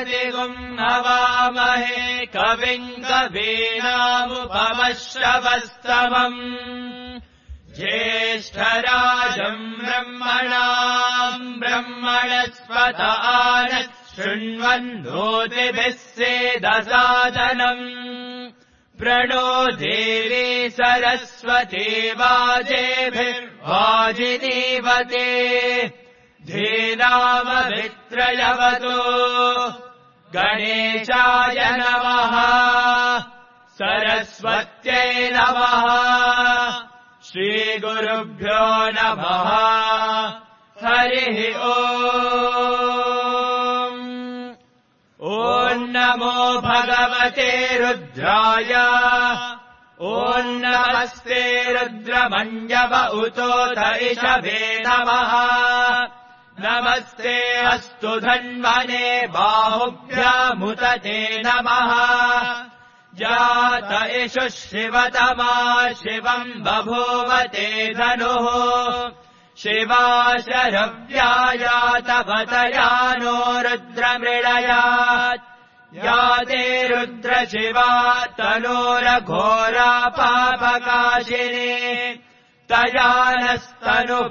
प्रतिगुम् हवामहे कविम् कवीनामुपमश्रवस्तमम् ज्येष्ठराजम् ब्रह्मणाम् ब्रह्मणस्पत आनः शृण्वन्नोतिभिः सेदसादनम् प्रणो देवी सरस्वती वाजेभिर्वाजिनीवते धीनामभित्रयवतो गणेशाय नमः सरस्वत्यै नमः श्रीगुरुभ्यो नमः हरिः ॐ नमो भगवते रुद्राय ॐ नमस्ते रुद्रमञ्जव उतोत इषभे नमः नमस्ते अस्तु धन्वने बाहुभ्यामुदते नमः जात इषु शिवतमा शिवम् बभूवते धनुः शिवाशरव्यायातपतया नो रुद्रमृळयात् याते रुद्रशिवा तनोरघोरा पापकाशिनी तया नस्तनुभाषन्तमया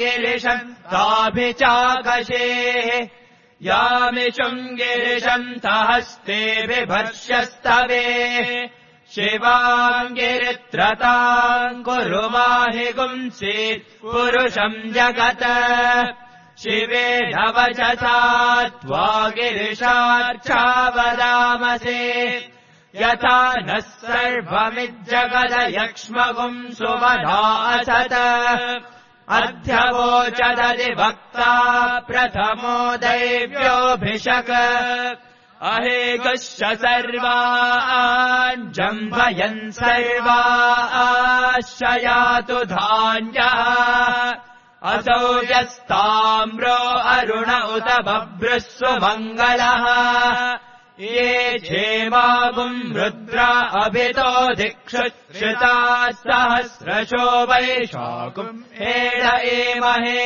गिरिशन्ताभिचाकशेः यामिषुम् गिरिशन्तहस्ते बिभर्ष्यस्तवे शिवाम् गिरित्रताम् कुरु माहि गुंसीत् पुरुषम् जगत् शिवेन वचसा त्वा गिरिशार्चावदामसे यथा नः सर्वमिज्जगदयक्ष्मगुम् सुमना असत अध्यवोचदधिवक्ता प्रथमो दैव्योऽभिषक अहेकश्च सर्वान् जम्भयन् सर्वाश्चयातु धान्यः असौ यस्ताम्रो अरुण उत बभ्रुस्व मङ्गलः ये क्षेमागुम् रुद्रा अभितो दिक्षुश्रिताः सहस्रशो वैशाखुम् हेड एमहे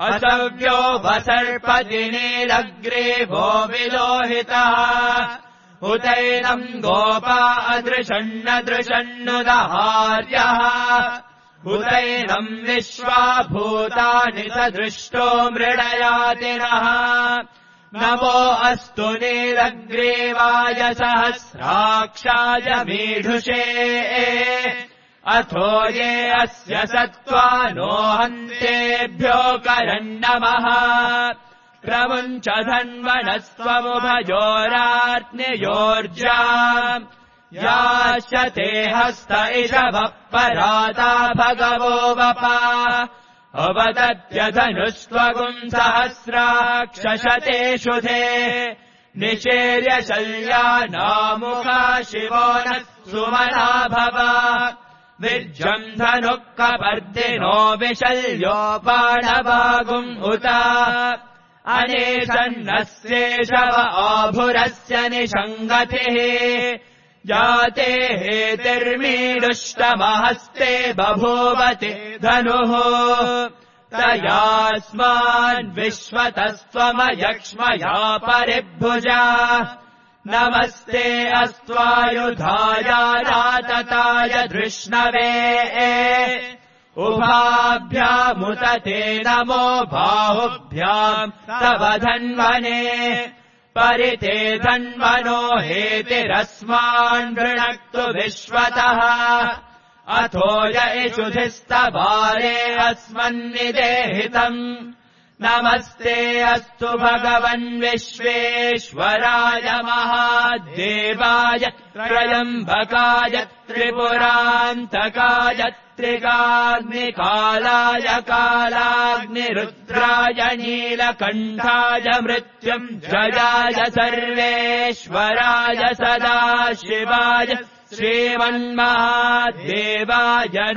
असव्यो वसर्पदिनेरग्रीवो विलोहितः उतैनम् गोपा अदृशन्नदृशन्नुदहार्यः उतैनम् विश्वा भूतानि सदृष्टो मृडयातिनः नमो अस्तु नीलग्रीवाय सहस्राक्षाय मीढुषे अथो ये अस्य सत्त्वा नो हन्तेभ्यो करन्नमः प्रमुञ्च धन्वनस्त्वमुभयोरात्नियोर्जा याश्च ते हस्त इषभः पराता भगवो वपा अवदत्यधनुस्त्वगुम् सहस्राक्षशतेषु ते निषेर्य शल्यानामुखा शिवो नः सुमना भव विज्रम् धनुः कपर्दिनो विशल्योपाणभागुम् उत अनेशन्नस्येषव आभुरस्य निषङ्गतिः जाते हेतिर्मीडुष्टमहस्ते बभूवति धनुः तयास्मान् विश्वतस्त्वमयक्ष्मया परिभुजा नमस्ते अस्त्वायुधाय रातताय धृष्णवे उभाभ्यामुत ते नमो बाहुभ्याम् तव धन्वने परिते धन्वनो हेतिरस्मान् वृणक्तु विश्वतः अथो य इषुधिस्तवारे अस्मन्निदेहितम् नमस्ते अस्तु भगवन् विश्वेश्वराय महादेवाय त्रयम्बकाय त्रिपुरान्तकाय त्रिकाग्निकालाय कालाग्निरुद्राय नीलकण्ठाय मृत्युञ्जयाय सर्वेश्वराय सदाशिवाय श्रीमन्महादेवाय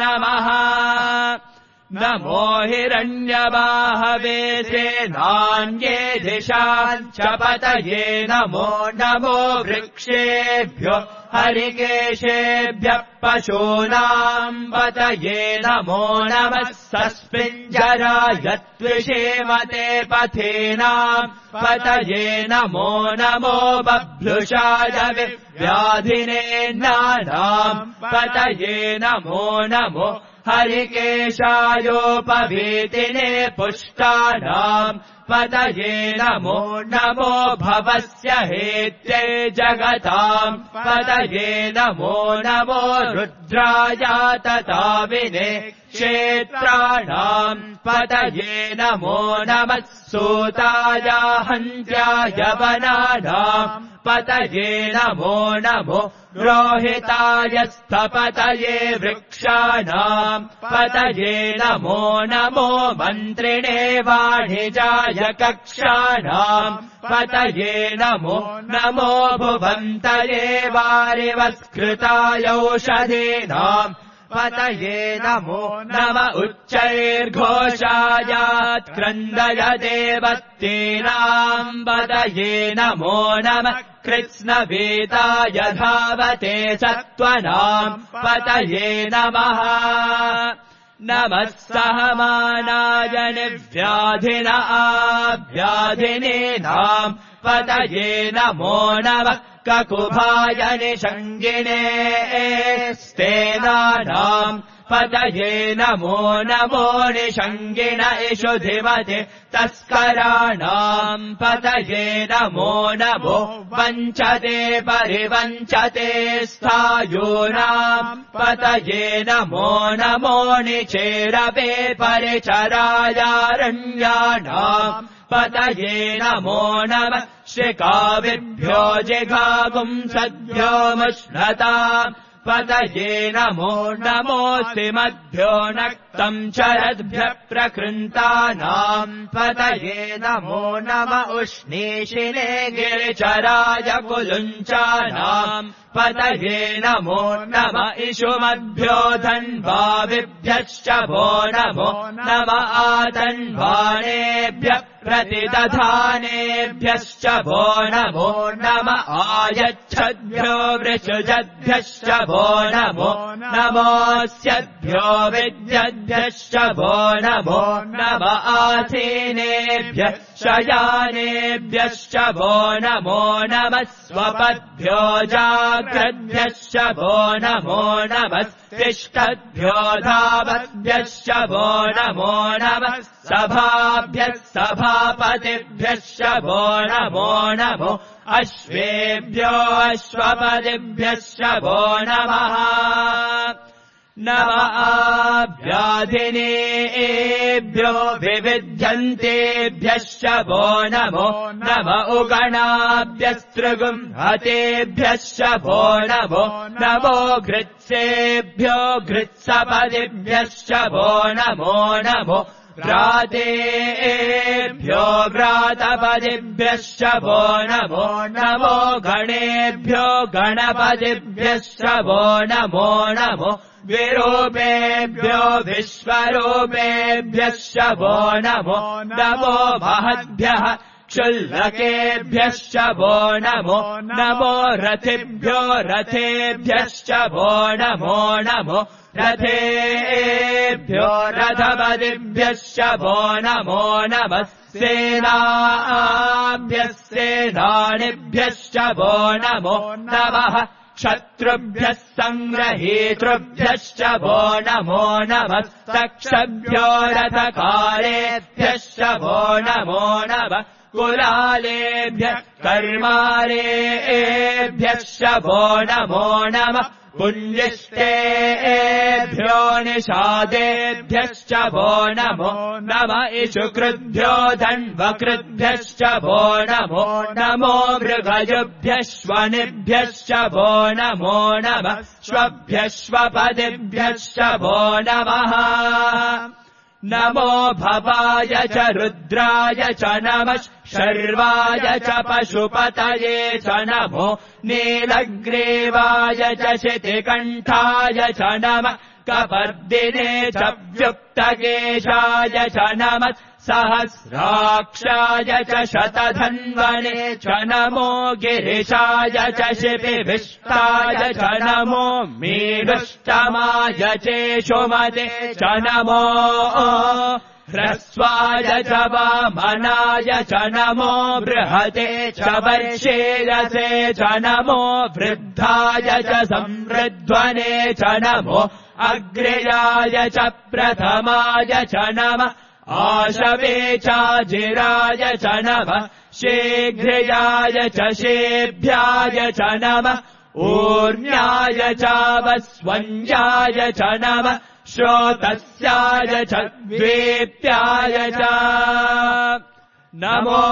नमः नमो हिरण्यबाहवे सेनान्ये दिशाम् च पतये नमो नमो वृक्षेभ्यो हरिकेशेभ्यः पशूनाम् पतये नमो नमः सस्मिञ्जराय त्विषेमते पथेनाम् पतये नमो नमो बभ्रुषाय व्याधिनेन्नानाम् पतये नमो नमो हरिकेशायोपवीतिने पुष्टानाम् पतये नमो नमो भवस्य हेत्यै जगताम् पतये नमो नमो रुद्राया तताविने क्षेत्राणाम् पतये नमो नमः सूताया हन्त्याय वनानाम् पतये नमो नमो रोहिताय स्थपतये वृक्षाणाम् पतये नमो नमो मन्त्रिणे वाणिजाय कक्षाणाम् पतये नमो नमो भुवन्तये वारिवस्कृतायौषधीनाम् पतये नमो नम उच्चैर्घोषायात्क्रन्दय देवत्तीनाम् पतये नमो नमः कृत्स्नवेदाय धावते सत्त्वनाम् पतये नमः नमः सहमानाय निव्याधिन आव्याधिनीनाम् पतये नमो नमः ककुभाय निषङ्गिणे स्तेनानाम् पतये नमो नमो निषङ्गिण इषुधिमते तस्कराणाम् पतये नमो नमो वञ्चते परिवञ्चते स्थायूनाम् पतये नमो नमो निचेरवे परिचरायारण्याणाम् पतये नमो नमः श्रिकाविभ्यो जिघागुंसद्भ्यो मुष्णताम् पतये नमो नमोऽस्तिमद्भ्यो नक्तम् चरद्भ्यः प्रकृन्तानाम् पतये नमो नम उष्णीषिणे गिरिचराय कुलुञ्चानाम् पतये नमो नम इषुमद्भ्यो धन्वाविभ्यश्च भो नमो नम आतन्वानेभ्यः प्रतिदधानेभ्यश्च भो नमो नम आयच्छद्भ्यो वृषजद्भ्यश्च भो नमो नमोऽस्यद्भ्यो विद्यद्भ्यश्च भो नमो नम आसीनेभ्यः शयानेभ्यश्च भो नमो नमः स्वपद्भ्यो जाग्रद्भ्यश्च भो नमो नमः तिष्ठद्भ्यो धावद्भ्यश्च भो नमो नमः सभाभ्यः सभापतिभ्यश्च भो नमो नमो अश्वेभ्यो अश्वपतिभ्यश्च भो नमः नम आव्याधिनेभ्यो विविध्यन्तेभ्यश्च भो नमो नम उगणाभ्यस्त्रिगुंहतेभ्यश्च भो नमो नमो घृत्सेभ्यो घृत्सपदिभ्यश्च भो नमो नमो व्रातेभ्यो व्रातपदिभ्यश्च भो नमो नमो गणेभ्यो गणपतिभ्यश्च भो नमो नमो विरूपेभ्यो विश्वरूपेभ्यश्च भो नमो नमो महद्भ्यः क्षुल्लकेभ्यश्च भो नमो नमो रथिभ्यो रथेभ्यश्च भो नमो नमो रथेभ्यो रथपतिभ्यश्च भो नमो नमः सेनाभ्यः सेनानिभ्यश्च भो नमो नमः क्षत्रुभ्यः सङ्ग्रहीतृभ्यश्च भो नमो नमः तक्षभ्यो रथकारेभ्यश्च भो नमो नमः कुलालेभ्यः कर्मारेभ्यश्च भो नमो नमः पुण्यष्टेभ्यो निषादेभ्यश्च भो नमो नम इषुकृद्भ्यो धन्वकृद्भ्यश्च भो नमो नमो मृगजुभ्यश्वनिभ्यश्च भो नमो नमः श्वभ्यश्वपदिभ्यश्च भो नमः नमो भवाय च रुद्राय च नमः शर्वाय च पशुपतये च नमो नीलग्रीवाय च शितिकण्ठाय च नमः कपर्दिने च व्युक्तकेशाय च नमः सहस्राक्षाय च शतधन्वने च नमो गिरिशाय च शिपिविष्टाय च नमो मीडुष्टमाय चेषुमते च नमो ह्रस्वाय च वामनाय च नमो बृहते च वर्षेयसे च नमो वृद्धाय च संवृध्वने च नमो अग्र्याय च प्रथमाय च नमः आशवे चाजिराय च नमः शीघ्र्याय च शेभ्याय च नमः ऊर्ण्याय चावस्वन्याय च नमः श्रोतस्याय च द्वेप्याय च नमो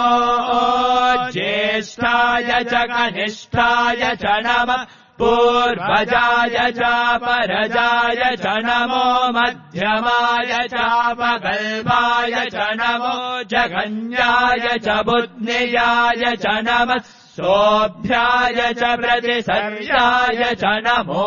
ज्येष्ठाय च कनिष्ठाय च नमः पूर्वजाय चापरजाय च नमो मध्यमाय चापगल्भाय च नमो जगन्याय च बुद्ध्याय च नमः सोऽभ्याय च प्रतिसर्याय च नमो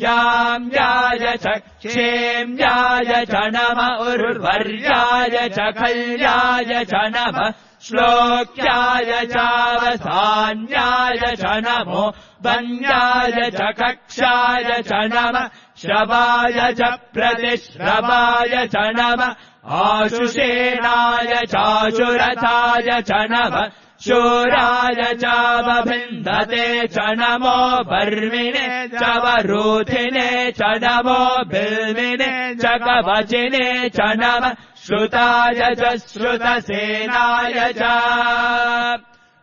याम्याय च क्षेम्याय च नमः उर्वर्याय च खल्याय च नमः श्लोक्याय चावसान्याय च नमो वन्याय च कक्षाय च नमः श्रवाय च प्रतिश्रवाय च नमः आशुषेणाय चाशुरथाय च नमः शूराय चावभिन्दते च नमो वर्मिणे च वरूथिने च नमो बिल्विने च कवचिने च नमः श्रुताय च श्रुतसेनाय च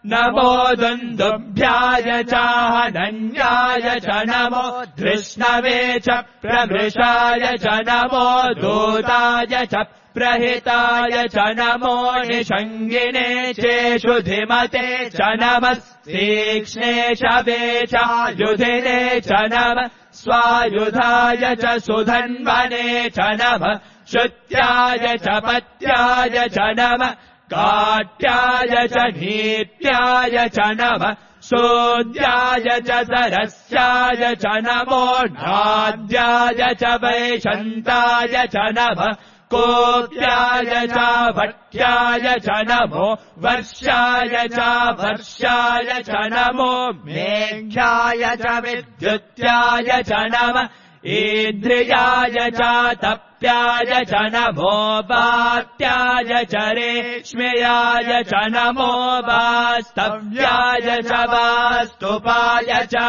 नमो दुन्दुभ्याय चाहनन्याय च नमो धृष्णवे च प्रभृशाय च नमो दूताय च प्रहिताय च नमो निषङ्गिने चेषुधिमते च नमः तीक्ष्णे शवे चायुधिने च नमः स्वायुधाय च सुधन्वने च नमः श्रुत्याय च पत्याय च नमः काट्याय च नीत्याय च नमः सोद्याय च सरस्याय च नमो नाद्याय च वैशन्ताय च नमः कोप्याय च भट्याय च नमो वर्षाय च वर्षाय च नमो मेघ्याय च विद्युत्याय च नमः ईद्रियाय च तप्याय च नमो वात्याय च रेश्म्याय च नमो वास्तव्याय च वास्तुपाय च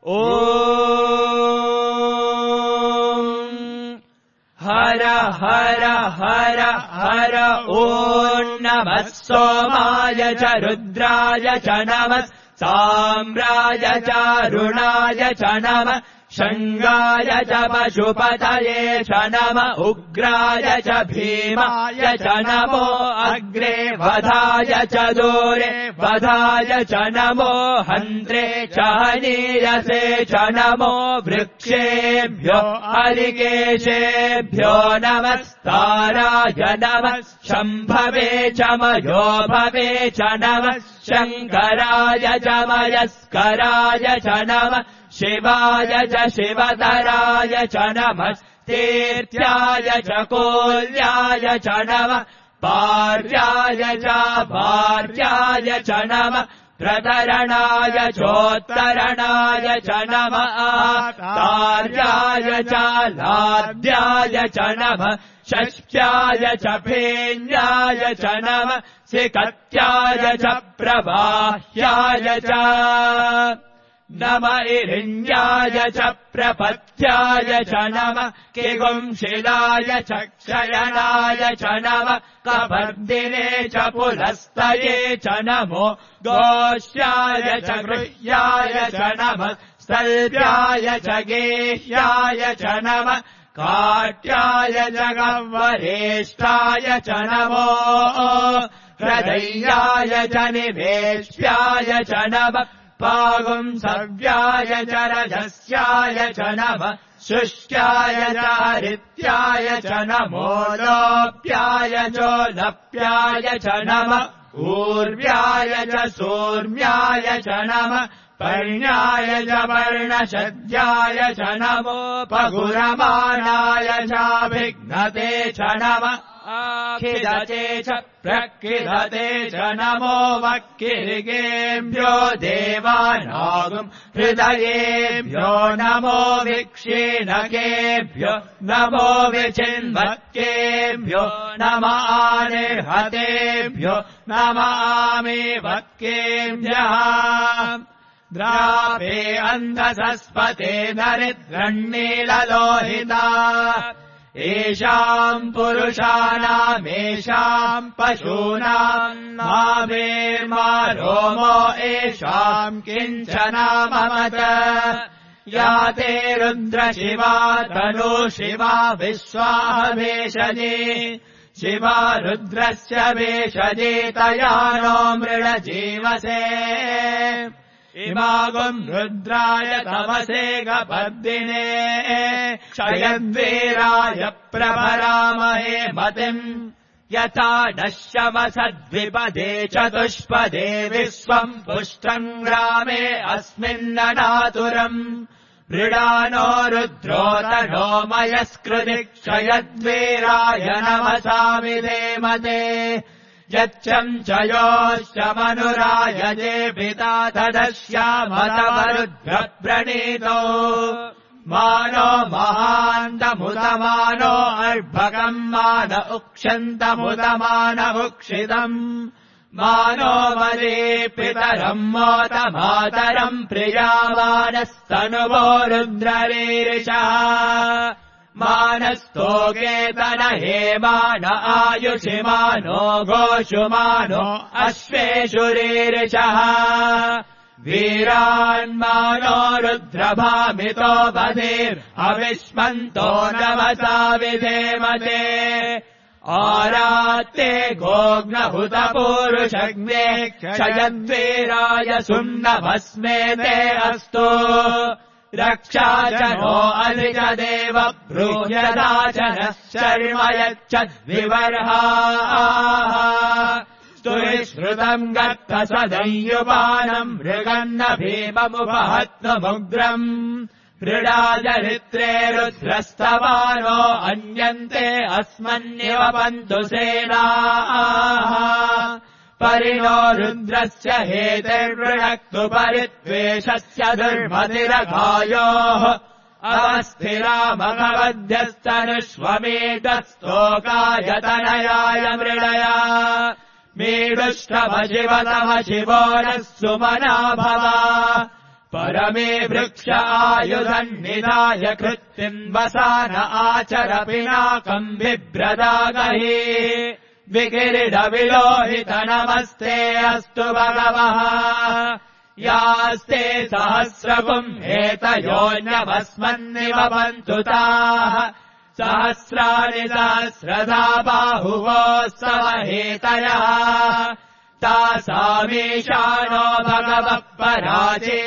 ॐ हर हर हर हर ॐ नमः सोमाय च रुद्राय च नमः साम्राय चारुणाय च नमः शङ्गाय च पशुपतये च नमः उग्राय च भीमाय च नमो अग्रे वधाय च दूरे वधाय च नमो हन्त्रे च हनीयसे च नमो वृक्षेभ्यो हरिकेशेभ्यो नमस्ताराय नमः शम्भवे च मयोभवे च नमः शङ्कराय च मयस्कराय च नमः शिवाय च शिवतराय च नमः तीर्थ्याय च कोल्याय च नमः पार्याय च भार्याय च नमः प्रतरणाय चोत्तरणाय च नमः तार्याय च लाद्याय च नमः षष्ट्याय च फेन्याय च नमः सिकत्याय च प्रवाह्याय च नम इरिण्याय च प्रपथ्याय च नमः किगुंशिलाय च क्षयणाय च नमः कपर्दिने च पुलस्तये च नमो गोष्याय च गृह्याय च नमः स्तल्भ्याय च गेह्याय च नमः काट्याय च गह्वरेष्ठाय च नमो हृदयाय च निवेश्याय च नमः पागुंसव्याय च रजस्याय च नमः शुष्क्याय च हरित्याय च नमो लोप्याय चोलप्याय च नमः ऊर्व्याय च सूर्म्याय च नमः पर्ण्याय च पर्णशद्याय च नमो पगुरमाणाय चाभिघ्नते च नमः खिदते च प्रखिदते च नमो वक्किरिगेभ्यो देवानागुम् हृदयेभ्यो नमो विक्षीणकेभ्यो नमो विचिन्वक्केभ्यो नमानिर्हतेभ्यो नमामि वक्केभ्यः द्रापे अन्धसस्पते दरिद्रण्णीललोहिता एषाम् पुरुषाणामेषाम् पशूनाम् मावेर्मा रोमो एषाम् किञ्चनाममत या ते रुद्रशिवा तनु शिवा विश्वावेशजे शिवा रुद्रस्य वेशजे तया नो मृळजीवसे इमागुम् रुद्राय तमसे गपर्दिने क्षयद्वीराय प्रभरामहे मतिम् यथा नश्यमसद्विपदे चतुष्पदे विश्वम् पुष्टम् ग्रामे अस्मिन्ननातुरम् मृडानो रुद्रोतनो मयस्कृति क्षयद्वीराय नमसा विधेमते यच्चम् चयोश्च मनुरायजे पिता तदस्यामतमरुद्रप्रणीतो मानो महान्तमुदमानो अर्भकम् मान उक्षन्तमुदमान उक्षितम् मानो मदे पितरम् मोतमातरम् प्रियामानस्तनुवो रुद्ररीरिषः मानस्तोकेतन हेमान आयुषिमानो गोषुमानो अश्वेषु रीरिषः वीरान्मानो रुद्रभामितो बधिर्हविष्मन्तो नमसा विधेमते आरात्ते गोग्नहुतपूरुषग्ने क्षयद्वीराय सुम्नभस्मे ते अस्तु रक्षा च नो अधिजदेव ब्रूह्यदाचनः शर्म यच्छद्विवर्हाः स्तुरिश्रुतम् गत्तसदय्युपानम् मृगन्न भीममुपहत्तमुग्रम् मृडाजरित्रे रुद्रस्तवानो अन्यन्ते अस्मन्निव पन्तु सेनाः परिणो रुद्रस्य हेतिर्वृणक्तु परित्वेषस्य दुर्मतिरघायोः अवस्थिरामभवद्यस्तनुष्वमेतस्तोकायतनयाय मृडया मीडुष्टमशिवतम शिवो नः सुमना भव परमे वृक्ष आयुधन्निधाय कृत्तिम् वसान आचर पिनाकम् बिभ्रदागहि विकिरीटविलोहित नमस्ते अस्तु भगवः यास्ते सहस्रगुम् हेतयोऽन्यभस्मन्निव पन्तु ताः सहस्राणि सहस्रधा बाहुवोत्सव हेतयः तासामीशानो भगवः पराचीनामुखाकृते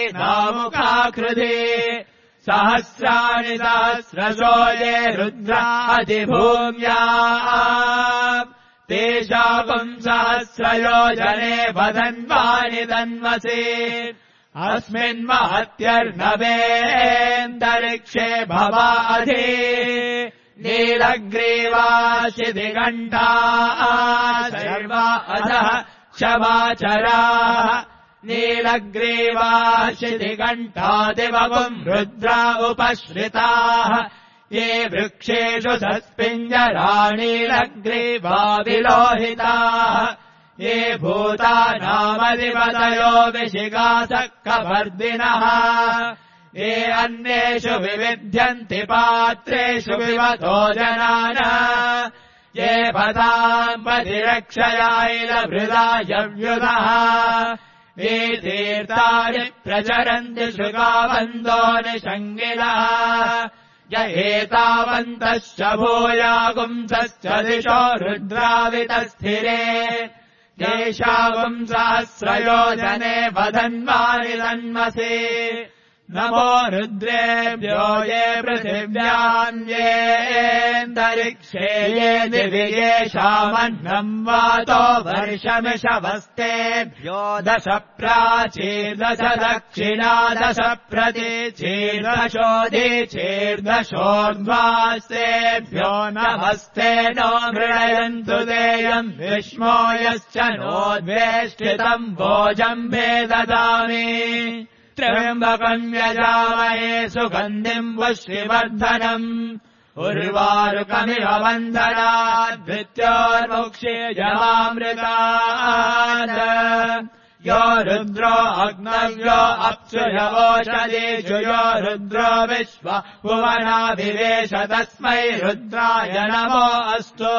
सहस्राणि सहस्रशो ये रुद्रादिभूम्या तेषाम् सहस्रयोजने वदन्वानि तन्मसि अस्मिन्महत्यर्नवेऽन्तरिक्षे भवाधि नीलग्रीवाशिदिघण्टा सर्वा अधः क्षमाचराः नीलग्रीवाशिदिघण्टादिवगुम् रुद्रा उपश्रिताः ये वृक्षेषु सत्पिञ्जराणीलग्रीवा विलोहिताः ये भूतानामधिपतयो विशिखासक्कवर्दिनः ये अन्येषु विविध्यन्ति पात्रेषु विवतो जनान ये पदाम् पतिरक्षयाैलभृदायव्युधः ये तीर्थानि प्रचरन्ति शुकावन्दो निषङ्गिलः य एतावन्तश्च भूयागुंसश्च दिशो रुद्रावितस्थिरे येषागुम् सहस्रयोजने वदन्वानि तन्मसि नमो रुद्रेभ्यो ये पृथिव्याम् येऽन्तरिक्षे ये दिवि येषामन्नम् वातो वर्षमिषवस्तेभ्यो 10 प्राचीर्दश दक्षिणा 10 प्रतीचीर्दशोदीचीर्दशोर्ध्वास्तेभ्यो नमस्ते नो मृणयन्तु देयम् विष्मो यश्च नोद्वेष्टितम् भोजम् भेददामि त्र्यम्बकम् यजामहे सुगन्धिम् पुष्टिवर्धनम् उर्वारुकमिव बन्धनात् मृत्योर्मुक्षीयमामृतात् यो रुद्रो अग्नव्यो अप्सुयवोषधीषु यो रुद्रो विश्व भुवनाभिवेश तस्मै रुद्राय नमो अस्तु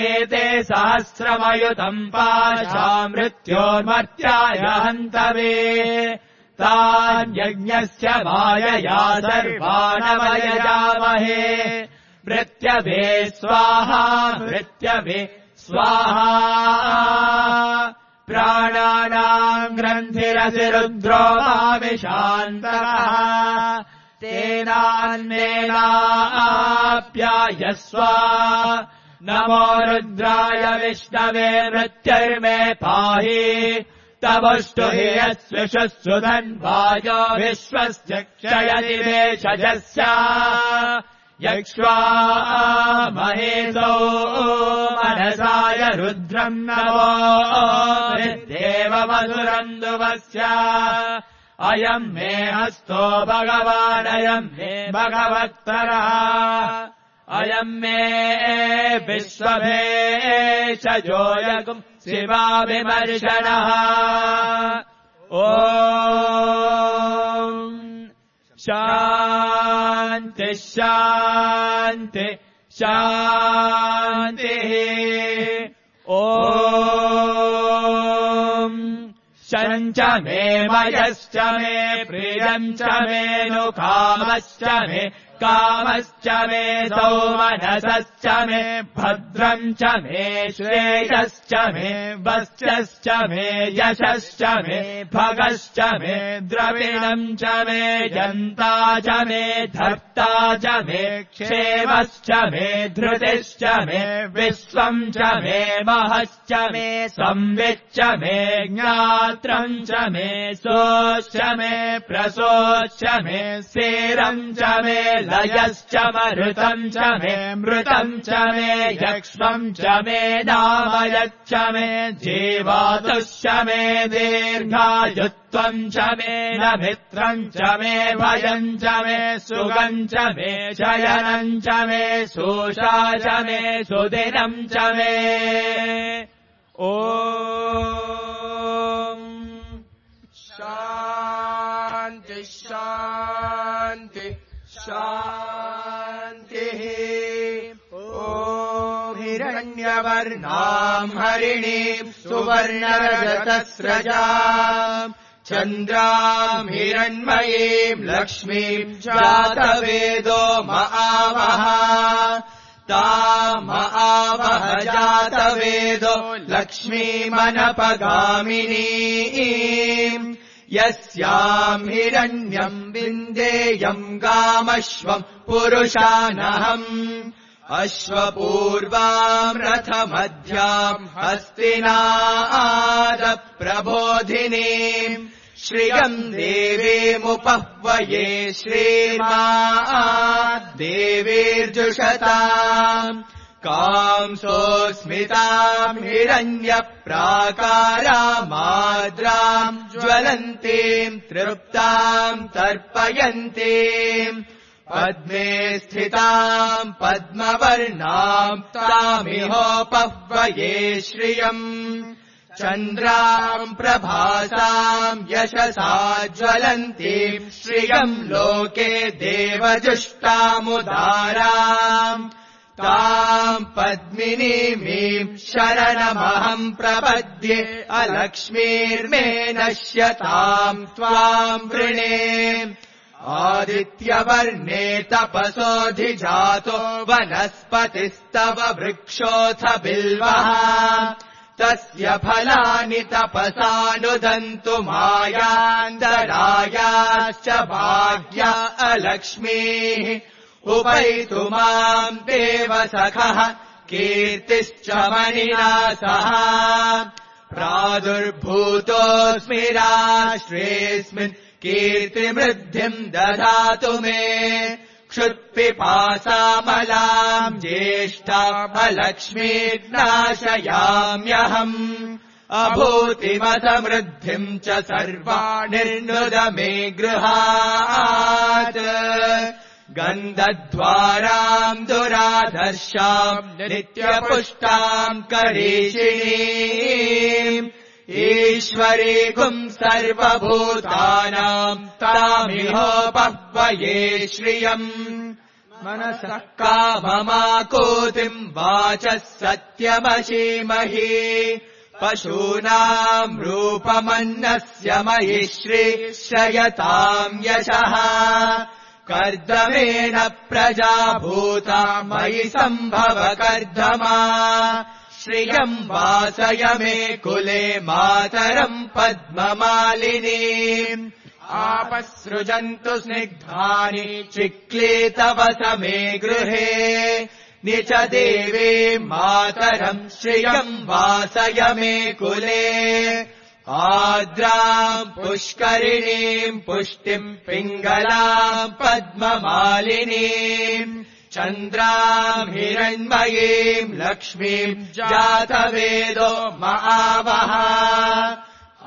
एते सहस्रमयुतम् पाशा मृत्योर्मर्त्याय हन्तवे तान्यज्ञस्य मायया सर्वानवयजामहे मृत्यभे स्वाहा मृत्यभे स्वाहा प्राणानाम् ग्रन्थिरसि रुद्रो भाविशान्तः तेनान्नेनाप्यायस्व नमो रुद्राय विष्णवे मृत्युर्मे पाहि तवष्टु हि यस्विषस्सु धन्वायो विश्वस्य क्षयति वेषजस्य यक्ष्वा महेशो मनसाय रुद्रम् नमो देवमधुरन्दुवस्य अयम् मे हस्तो भगवानयम् मे भगवत्तरः अयम् मे विश्वभेषजोऽयम् शिवाभिमर्शनः ॐ शान्ति शान्ति शान्तिः ॐ शञ्च मे मयश्च मे प्रियम् च मे नु कामश्च मे कामश्च मे सौमनसश्च मे भद्रम् च मे श्रेयश्च मे वस्यश्च मे यशश्च मे भगश्च मे द्रविणम् च मे जन्ता च मे धर्ता च मे क्षेमश्च मे धृतिश्च मे विश्वम् च मे महश्च मे संविच्च मे ज्ञात्रम् च मे सोश्च मे प्रसोश्च मे सेरम् च मे लयश्च मरुतम् च मे मृतम् च मे यक्ष्मम् च मे नामयच्च मे जीवातुश्च मे दीर्घायुत्वम् च मे न मित्रम् च मे भयम् च मे सुगम् च मे शयनम् च मे शोषा च मे सुदिनम् च मे ॐ शान्ति शान्ति शान्तिः ॐ हिरण्यवर्णाम् हरिणीम् सुवर्णरजतस्रजाम् चन्द्राम् हिरण्मयीम् लक्ष्मीम् जातवेदो महावः ताम आवह जातवेदो लक्ष्मीमनपगामिनीम् यस्याम् हिरण्यम् विन्देयम् गामश्वम् पुरुषानहम् अश्वपूर्वाम् रथमध्याम् हस्तिनादप्रबोधिनीम् श्रियम् देवीमुपह्वये श्रीर्देवीर्जुषताम् कांसोऽस्मिताम् हिरण्यप्राकारामाद्राम् ज्वलन्तीम् तृप्ताम् तर्पयन्तीम् पद्मे स्थिताम् पद्मवर्णाम् तामिहोपह्वये श्रियम् चन्द्राम् प्रभासाम् यशसा ज्वलन्तीम् श्रियम् लोके देवजुष्टामुदाराम् ताम् पद्मिनीमीम् शरणमहम् प्रपद्ये अलक्ष्मीर्मे नश्यताम् त्वाम् वृणे आदित्यवर्णे तपसोऽधिजातो वनस्पतिस्तव वृक्षोऽथ बिल्वः तस्य फलानि तपसानुदन्तु मायान्तरायाश्च भाग्या अलक्ष्मीः उपैतु माम् देव सखः कीर्तिश्च मणिना सह प्रादुर्भूतोऽस्मि राष्ट्रेऽस्मिन् कीर्तिमृद्धिम् ददातु मे क्षुत्पिपासामलाम् ज्येष्ठामलक्ष्मीर्नाशयाम्यहम् अभूतिमसमृद्धिम् च सर्वाणिर्नुद मे गृहात् गन्धद्वाराम् दुराधर्षाम् नित्यपुष्टाम् करीषिणीम् ईश्वरीकुम् सर्वभूतानाम् तामिहोपह्वये श्रियम् मनसः काममाकूतिम् वाचः सत्यमशीमहि पशूनाम् रूपमन्नस्य मयि श्रीश्रयताम् यशः कर्दमेन प्रजाभूता मयि सम्भव कर्दमा श्रियम् वासय मे कुले मातरम् पद्ममालिनीम् आपसृजन्तु स्निग्धानि चिक्लीतवस मे गृहे निच देवे मातरम् श्रियम् वासय मे कुले आद्राम् पुष्करिणीम् पुष्टिम् पिङ्गलाम् पद्ममालिनीम् चन्द्राम् हिरण्मयीम् लक्ष्मीम् जातवेदो महावः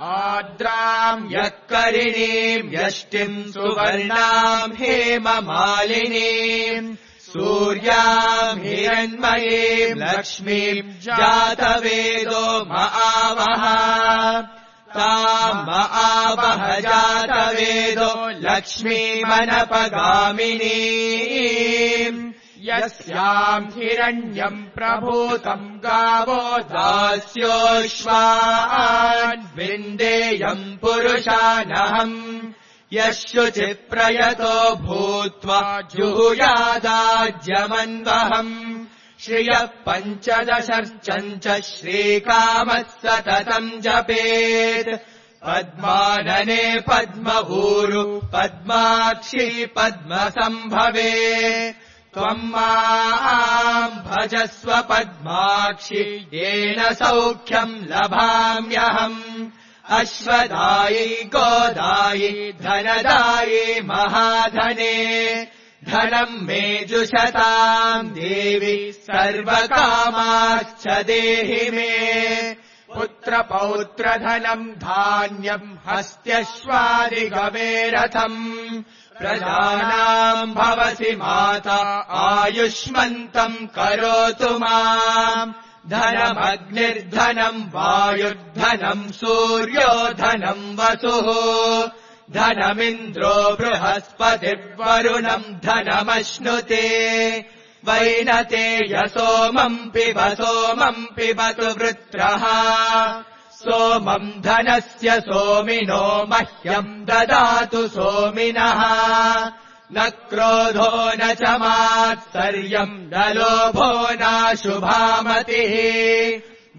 आद्राम् यक्करिणीम् यष्टिम् सुवर्णाम् हेममालिनीम् सूर्याम् हिरण्मयीम् लक्ष्मीम् जातवेदो महावः ताम् महावः जातवेदो लक्ष्मीमनपगामिनीम् यस्याम् हिरण्यम् प्रभूतम् गावो दास्योऽश्वान् विन्देयम् पुरुषानहम् यशुचिप्रयतो भूत्वा जुहुयादाज्यमन्वहम् श्रियः पञ्चदशर्चम् च श्रीकामः सततम् जपेत् पद्मानने पद्मभूरु पद्माक्षी पद्मसम्भवे त्वम् माम् भजस्व पद्माक्षि येन सौख्यम् लभाम्यहम् अश्वदायी गोदायी धनदायी महाधने धनम् मे जुषताम् देवि सर्वकामाश्च देहि मे पुत्रपौत्रधनम् धान्यम् हस्त्यश्वादिगमे रथम् प्रजानाम् भवसि माता आयुष्मन्तम् करोतु माम् धनमग्निर्धनम् वायुर्धनम् सूर्यो धनम् वसुः धनमिन्द्रो बृहस्पतिर्वरुणम् धनमश्नुते वैनते सोमम् पिबतु वृत्रः सोमम् धनस्य सोमिनो मह्यम् ददातु सोमिनः न क्रोधो न च मात्सर्यम् न लोभो नाशुभामतिः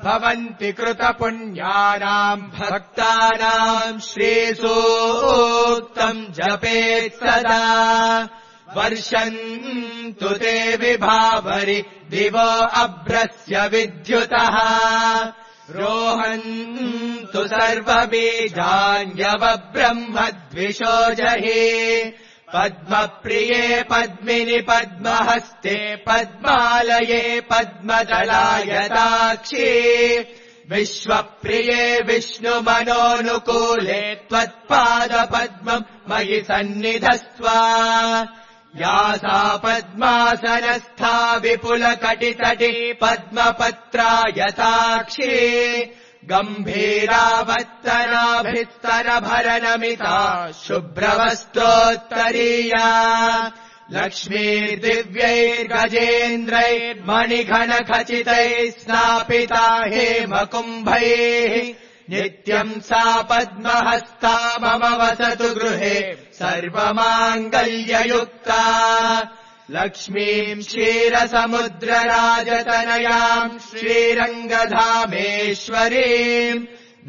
भवन्ति कृतपुण्यानाम् भक्तानाम् श्रीसूक्तम् जपेत् सदा वर्षन्तु ते विभावरि दिवो अभ्रस्य विद्युतः रोहन्तु सर्वबीजान्यवब्रह्मद्विषो जहि पद्मप्रिये पद्मिनि पद्महस्ते पद्मालये पद्मदलायताक्षी विश्वप्रिये विष्णुमनोनुकूले त्वत्पादपद्मम् मयि सन्निधस्व या सा पद्मासनस्था विपुलकटितटी पद्मपत्रायताक्षी गम्भीरावत्तराभिस्तरभरणमिता शुभ्रवस्त्रोत्तरीया लक्ष्मीर्दिव्यैर्गजेन्द्रैर्मणिघनखचितैः स्नापिता हेमकुम्भैः नित्यम् सा पद्महस्ता मम वसतु गृहे सर्वमाङ्गल्ययुक्ता लक्ष्मीम् क्षीरसमुद्रराजतनयाम् श्रीरङ्गधामेश्वरीम्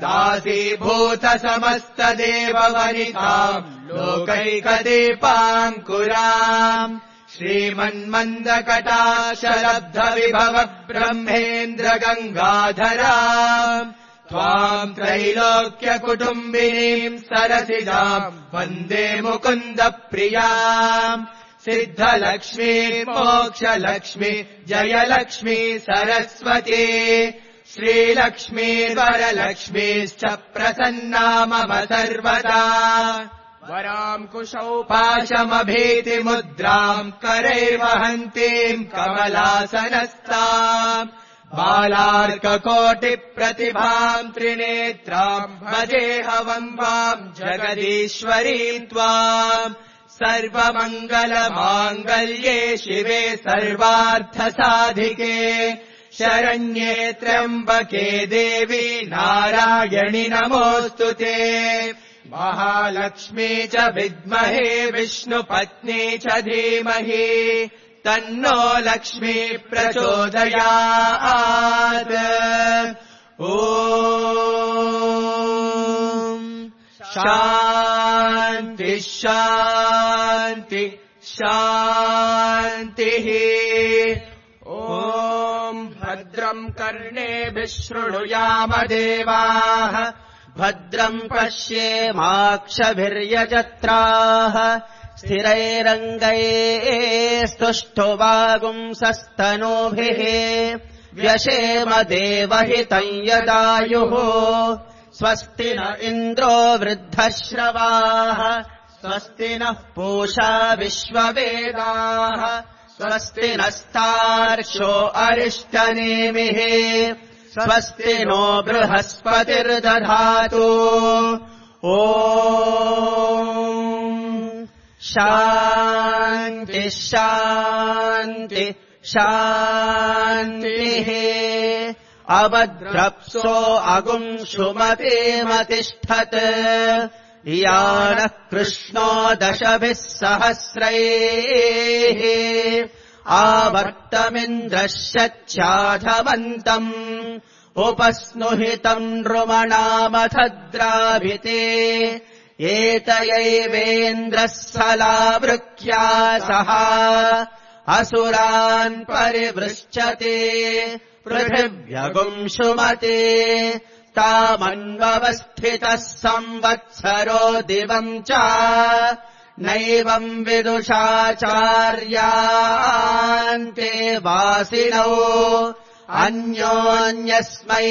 दासीभूतसमस्तदेववनिताम् लोकैकदीपाङ्कुराम् श्रीमन्मन्दकटाक्षलब्धविभव ब्रह्मेन्द्रगङ्गाधराम् त्वाम् त्रैलोक्यकुटुम्बिनीम् सरसिजाम् वन्दे मुकुन्दप्रियाम् सिद्धलक्ष्मी मोक्षलक्ष्मी जयलक्ष्मी सरस्वती श्रीलक्ष्मी वरलक्ष्मीश्च प्रसन्ना मम सर्वदा वराङ्कुशौ पाशमभीतिमुद्राम् करैर्वहन्तीम् कमलासनस्ताम् बालार्ककोटिप्रतिभाम् त्रिनेत्राम् भजेऽहमम्बाम् जगदीश्वरीम् त्वाम् सर्वमङ्गलमाङ्गल्ये शिवे सर्वार्थसाधिके शरण्ये त्र्यम्बके देवी नारायणि नमोऽस्तु ते महालक्ष्मी च विद्महे विष्णुपत्नी च धीमहि तन्नो लक्ष्मी प्रचोदयात् ॐ शान्ति शान्ति शान्तिः ॐ भद्रम् कर्णेभिः शृणुयाम देवाः भद्रम् पश्येमाक्षभिर्यजत्राः स्थिरैरङ्गैस्तुष्टुवागुंसस्तनूभिः व्यशेम देवहितम् यदायुः स्वस्ति न इन्द्रो वृद्धश्रवाः स्वस्ति नः पूषा विश्ववेदाः स्वस्ति नस्तार्क्ष्यो अरिष्टनेमिः स्वस्ति नो बृहस्पतिर्दधातु ॐ शान्ति शान्ति शान्तिः अभद्रप्सो अगुंशुमतेमतिष्ठत् यानः कृष्णो दशभिः सहस्रैः आवर्तमिन्द्रश्चाधवन्तम् उपस्नुहितम् नृमणामथद्राभिते एतयैवेन्द्रः सलावृख्या सह असुरान् परिवृश्चते पृथिव्यगुंशुमते तामन्वस्थितः संवत्सरो दिवम् च नैवम् विदुषाचार्यान्ते वासिनौ अन्योन्यस्मै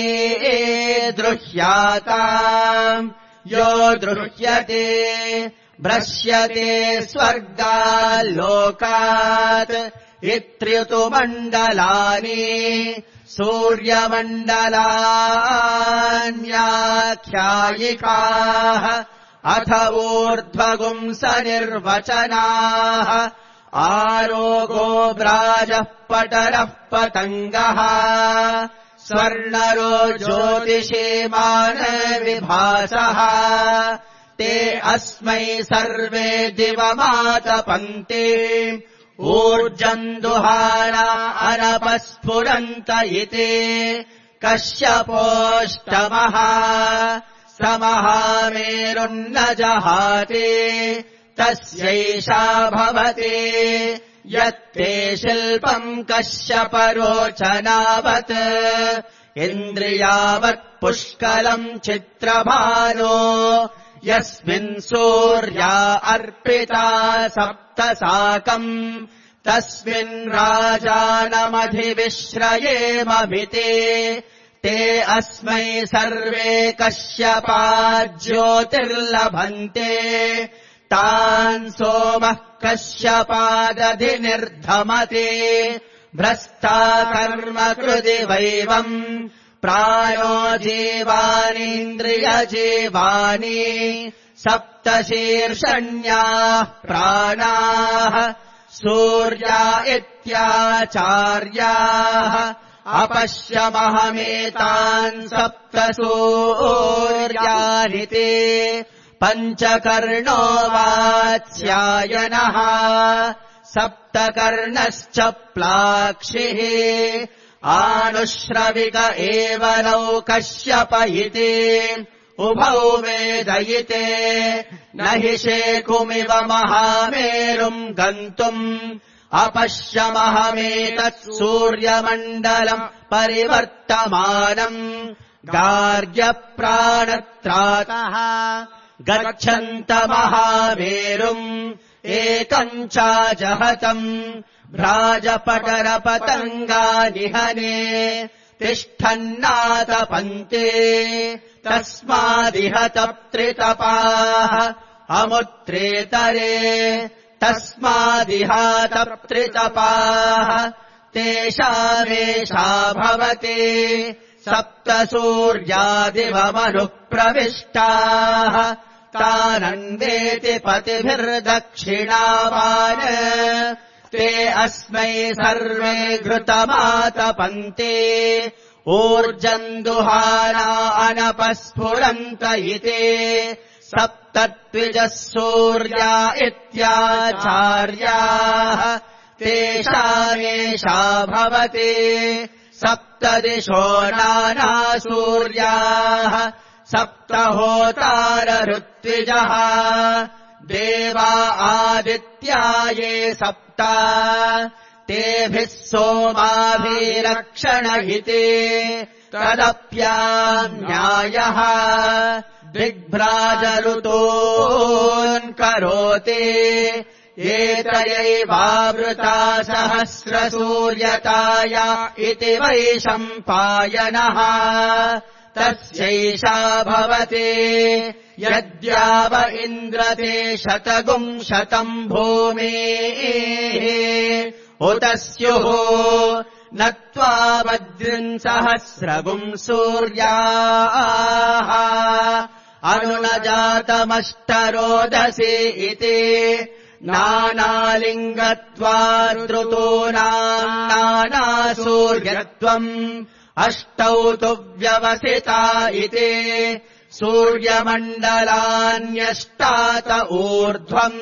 द्रुह्याताम् यो द्रुह्यते भ्रश्यते स्वर्गाल्लोकात् इत्र्युतुमण्डलानि सूर्यमण्डलान्याख्यायिकाः अथ ऊर्ध्वगुंसनिर्वचनाः आरोगो व्राजः पटरः पतङ्गः स्वर्णरो ज्योतिषीमानविभासः ते अस्मै सर्वे दिवमातपन्ते ऊर्जम् दुहाना अनपस्फुरन्त इति कश्यपोऽष्टमः स महामेरुन्न जहाति तस्यैषा भवति यत्ते शिल्पम् कश्यपरोचनावत् इन्द्रियावत् पुष्कलम् चित्रभानो यस्मिन् सूर्या अर्पिता सप्तसाकम् तस्मिन् राजानमधिविश्रयेमभिते ते अस्मै सर्वे कश्यपा ज्योतिर्लभन्ते तान् सोमः कश्यपादधिनिर्धमते भ्रष्टा कर्म कृति वैवम् प्रायो जीवानीन्द्रियजीवानि सप्तशीर्षण्याः प्राणाः सूर्या इत्याचार्याः अपश्यमहमेतान् सप्तसूर्यानि ते पञ्चकर्णो वात्स्यायनः सप्तकर्णश्च प्लाक्षिः आनुश्रविक एव नौ कश्यप इति उभौ वेदयिते न हि शेकुमिव महामेरुम् गन्तुम् अपश्यमहमेतत् सूर्यमण्डलम् परिवर्तमानम् गार्ग्यप्राणत्रातः गच्छन्तमहामेरुम् एकम् चाजहतम् भ्राजपटरपतङ्गानिहने तिष्ठन्नातपन्ते तस्मादिह तप्त्रितपाः अमुत्रेतरे तस्मादिहातप्त्रितपाः तेषामेषा भवति सप्त सूर्यादिवमनुप्रविष्टाः तानन्देति पतिभिर्दक्षिणावान् ते अस्मै सर्वे घृतमातपन्ते ऊर्जन्दुहाना अनपस्फुरन्त इति सप्तत्विजः सूर्या इत्याचार्याः तेषामेषा भवति सप्तदिशो नाना सूर्याः सप्तहोतारऋत्विजः देवा आदित्या ये सप्त तेभिः सोमाभिरक्षण इति तदप्यान्यायः दिग्भ्राजऋतून् करोति एतयैवावृता सहस्रसूर्यताया इति वैशम्पायनः तस्यैषा भवति यद्याव इन्द्रते शतगुंशतम् भूमेः उत स्युः न त्वावद्रिंसहस्रगुम् सूर्याः अनुनजातमष्टरोदसी इति नानालिङ्गत्वादृतूनाम् नानासूर्यत्वम् अष्टौ तु व्यवसिता इति सूर्यमण्डलान्यष्टात ऊर्ध्वम्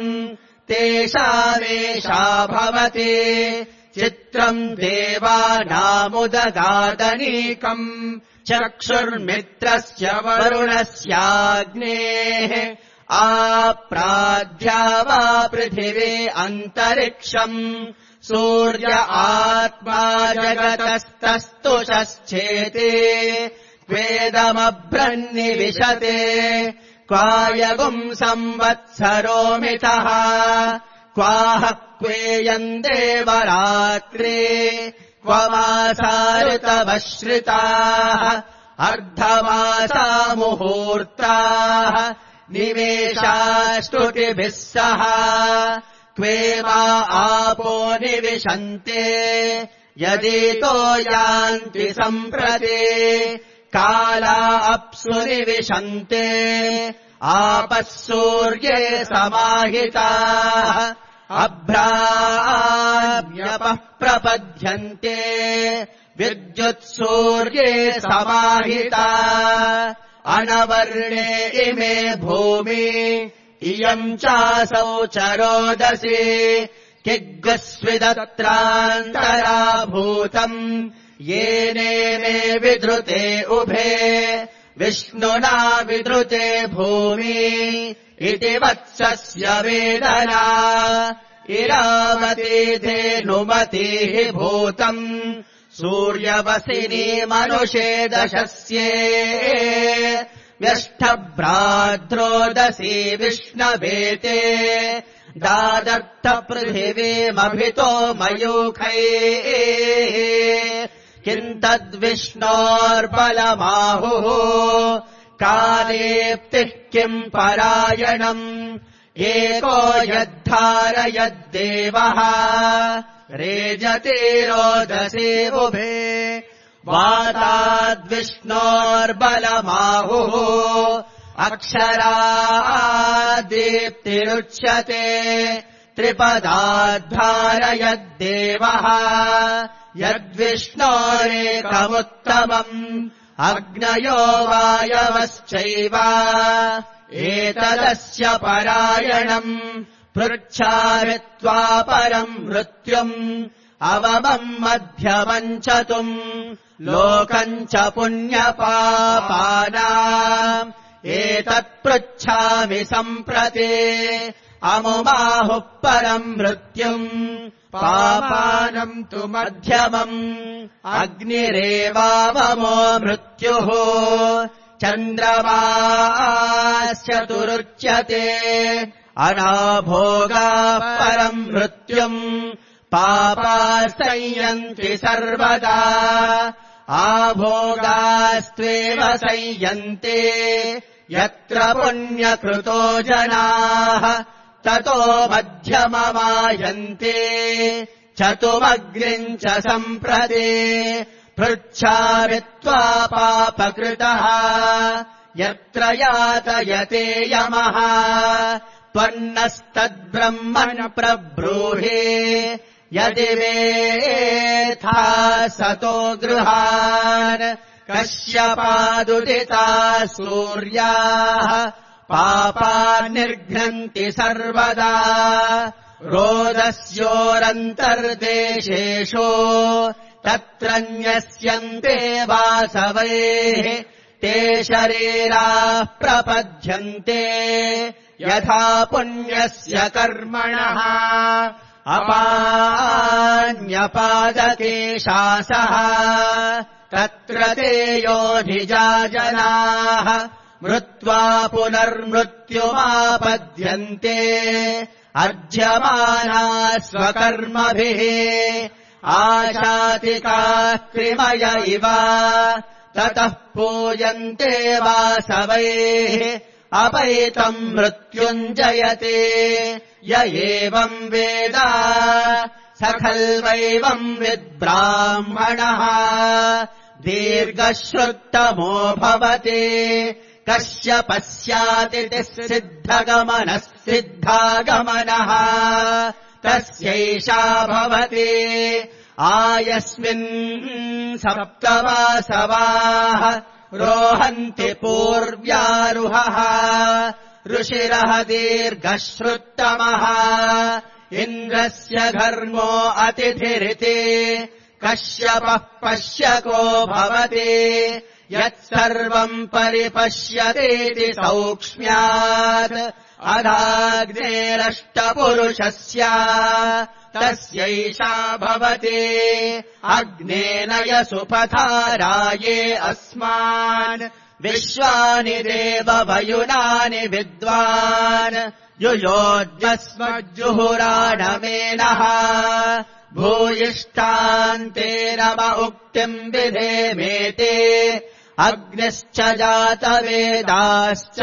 तेषामेषा भवति चित्रम् देवानामुदगादनीकम् चक्षुर्मित्रस्य वरुणस्याग्नेः आप्राध्या वा पृथिवी अन्तरिक्षम् सूर्य आत्मा जगतस्तस्तुषश्चेति वेदमभ्रन्निविशते क्वायगुम् संवत्सरो मिथः क्वाह क्वेयम् देवरात्रे क्व मासा ऋतवश्रिताः अर्धमासा मुहूर्ताः निमेषास्तुतिभिः सह क्वे वा आपो निविशन्ते यदितो यान्ति सम्प्रति काला अप्सु निविशन्ते आपः सूर्ये समाहिताः अभ्राव्यपः प्रपद्यन्ते विद्युत्सूर्ये समाहिता अनवर्णे इमे भूमि इयम् चासौ चरोदसी किग्स्विदत्रान्तराभूतम् येनेमे विधृते उभे विष्णुना विधृते भूमि इति वत्सस्य वेदना इरामती धेनुमतिः भूतम् सूर्यवसिनी मनुषे दशस्ये व्यष्टभ्राद्रोदसी विष्णवेते दादर्थ पृथिवीमभितो मयूखैः किम् तद्विष्णोर्बलमाहुः कालेप्तिः किम् परायणम् एको यद्धारयद्देवः रेजते रोदसे उभे वाताद्विष्णोर्बलमाहुः अक्षरादीप्तिरुच्यते त्रिपदाद्धारयद्देवः यद्विष्णोरेकमुत्तमम् अग्नयो वायवश्चैव एतदस्य परायणम् पृच्छामि त्वा परम् मृत्युम् अवमम् मध्यमम् च तुम् लोकम् च पुण्यपापानाम् एतत्पृच्छामि सम्प्रति अमुमाहुः परम् मृत्युम् पापानम् तु मध्यमम् अग्निरेवावमो मृत्युः चन्द्रमाश्चतुरुच्यते अनाभोगाः परम् मृत्युम् पापास्तयन्ति सर्वदा आभोगास्त्वेव संयन्ते यत्र पुण्यकृतो जनाः ततो मध्यममायन्ते चतुमग्निम् च सम्प्रति पृच्छामि त्वा पापकृतः यत्र यातयते यमः त्वन्नस्तद्ब्रह्मन् प्रब्रूहि यदि वेत्था सतो गृहान् कश्यपादुदिताः सूर्याः पापान्निर्घ्नन्ति सर्वदा रोदस्योरन्तर्देशेषु तत्र न्यस्यन्ते वासवैः ते शरीराः प्रपद्यन्ते यथा पुण्यस्य कर्मणः अपान्यपादकेशासः तत्र ते योनिजा जनाः मृत्वा पुनर्मृत्युमापद्यन्ते अर्ज्यमानाः स्वकर्मभिः आशातिकाः कृमय इव ततः पूयन्ते वासवैः अपैतम् मृत्युञ्जयते य एवम् वेद स खल्वैवम् विद्ब्राह्मणः दीर्घश्रुत्तमो भवति कश्यपस्यातिथिः सिद्धगमनः सिद्धागमनः तस्यैषा भवति आयस्मिन् सप्तवासवाः रोहन्ति पूर्व्यारुहः ऋषिरः दीर्घश्रुत्तमः इन्द्रस्य घर्मो अतिथिरिति कश्यपः पश्यको भवति यत्सर्वम् परिपश्यतीति सौक्ष्म्यात् अधाग्नेरष्टपुरुषस्य तस्यैषा भवति अग्नेन यसुपथाराये अस्मान् विश्वानि देववयुनानि विद्वान् युयोज्यस्मज्जुहुराणमेनः भूयिष्ठान्तेन म उक्तिम् विधेमेते अग्निश्च जातवेदाश्च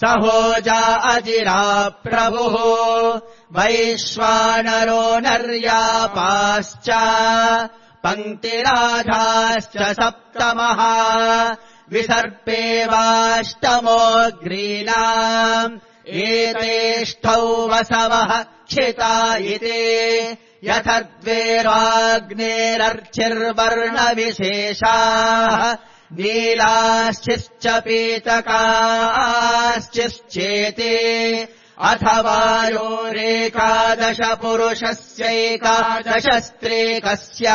सहोजा अजिरा प्रभुः वैश्वानरो नर्यापाश्च पङ्क्तिराधाश्च सप्तमः विसर्पेवाष्टमोऽग्रीणाम् एतेष्ठौ वसवः क्षिता इति यथद्वेराग्नेरर्चिर्वर्णविशेषाः नीलाश्चिश्च पीतकाश्चिश्चेते अथवायोरेकादश पुरुषस्यैकादशस्त्रेकस्य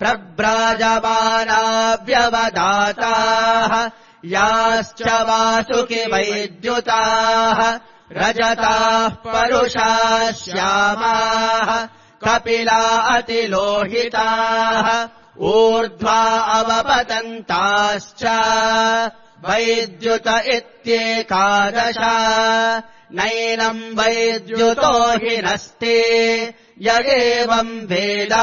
प्रव्राजमाना व्यवदाताः याश्च वासुकि वैद्युताः रजताः परुषाः श्यामाः कपिला अतिलोहिताः ऊर्ध्वा अवपतन्ताश्च वैद्युत इत्येकादश नैनम् वैद्युतो हि नस्ति य एवम् वेद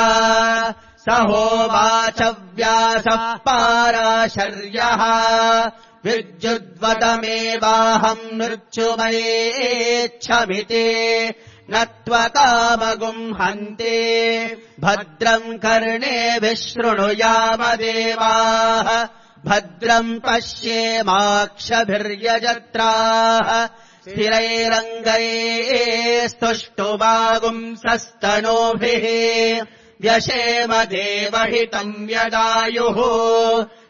स होवाच व्यासः पाराशर्यः विद्युद्वतमेवाहम् मृत्युमयेच्छमिति न त्वकामगुम् हन्ते भद्रम् कर्णेभिः शृणुयामदेवाः भद्रम् पश्येमाक्षभिर्यजत्राः स्थिरैरङ्गैस्तुष्टुवागुंसस्तनूभिः व्यशेम देवहितम् यदायुः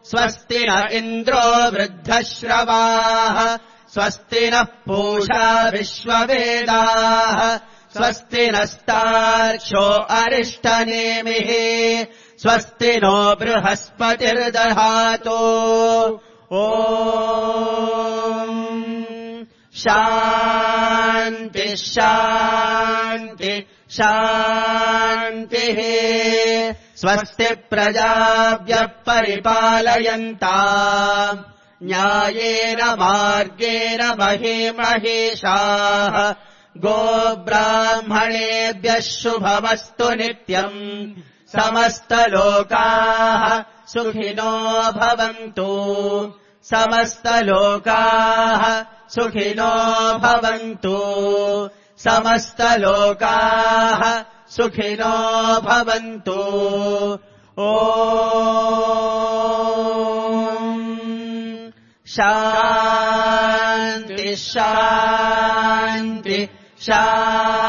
स्वस्ति न इन्द्रो वृद्धश्रवाः स्वस्ति नः पूषा विश्ववेदाः स्वस्ति नस्तार्क्ष्यो अरिष्टनेमिः स्वस्ति नो बृहस्पतिर्दधातु ॐ शान्ति शान्ति शान्तिः स्वस्ति प्रजाभ्यः परिपालयन्ताम् न्यायेन मार्गेण महीमहेशाः गोब्राह्मणेभ्यः शुभमस्तु नित्यम् समस्तलोकाः सुखिनो भवन्तु समस्तलोकाः सुखिनो भवन्तु समस्तलोकाः सुखिनो भवन्तु ॐ शान्ति शान्ति शान्ति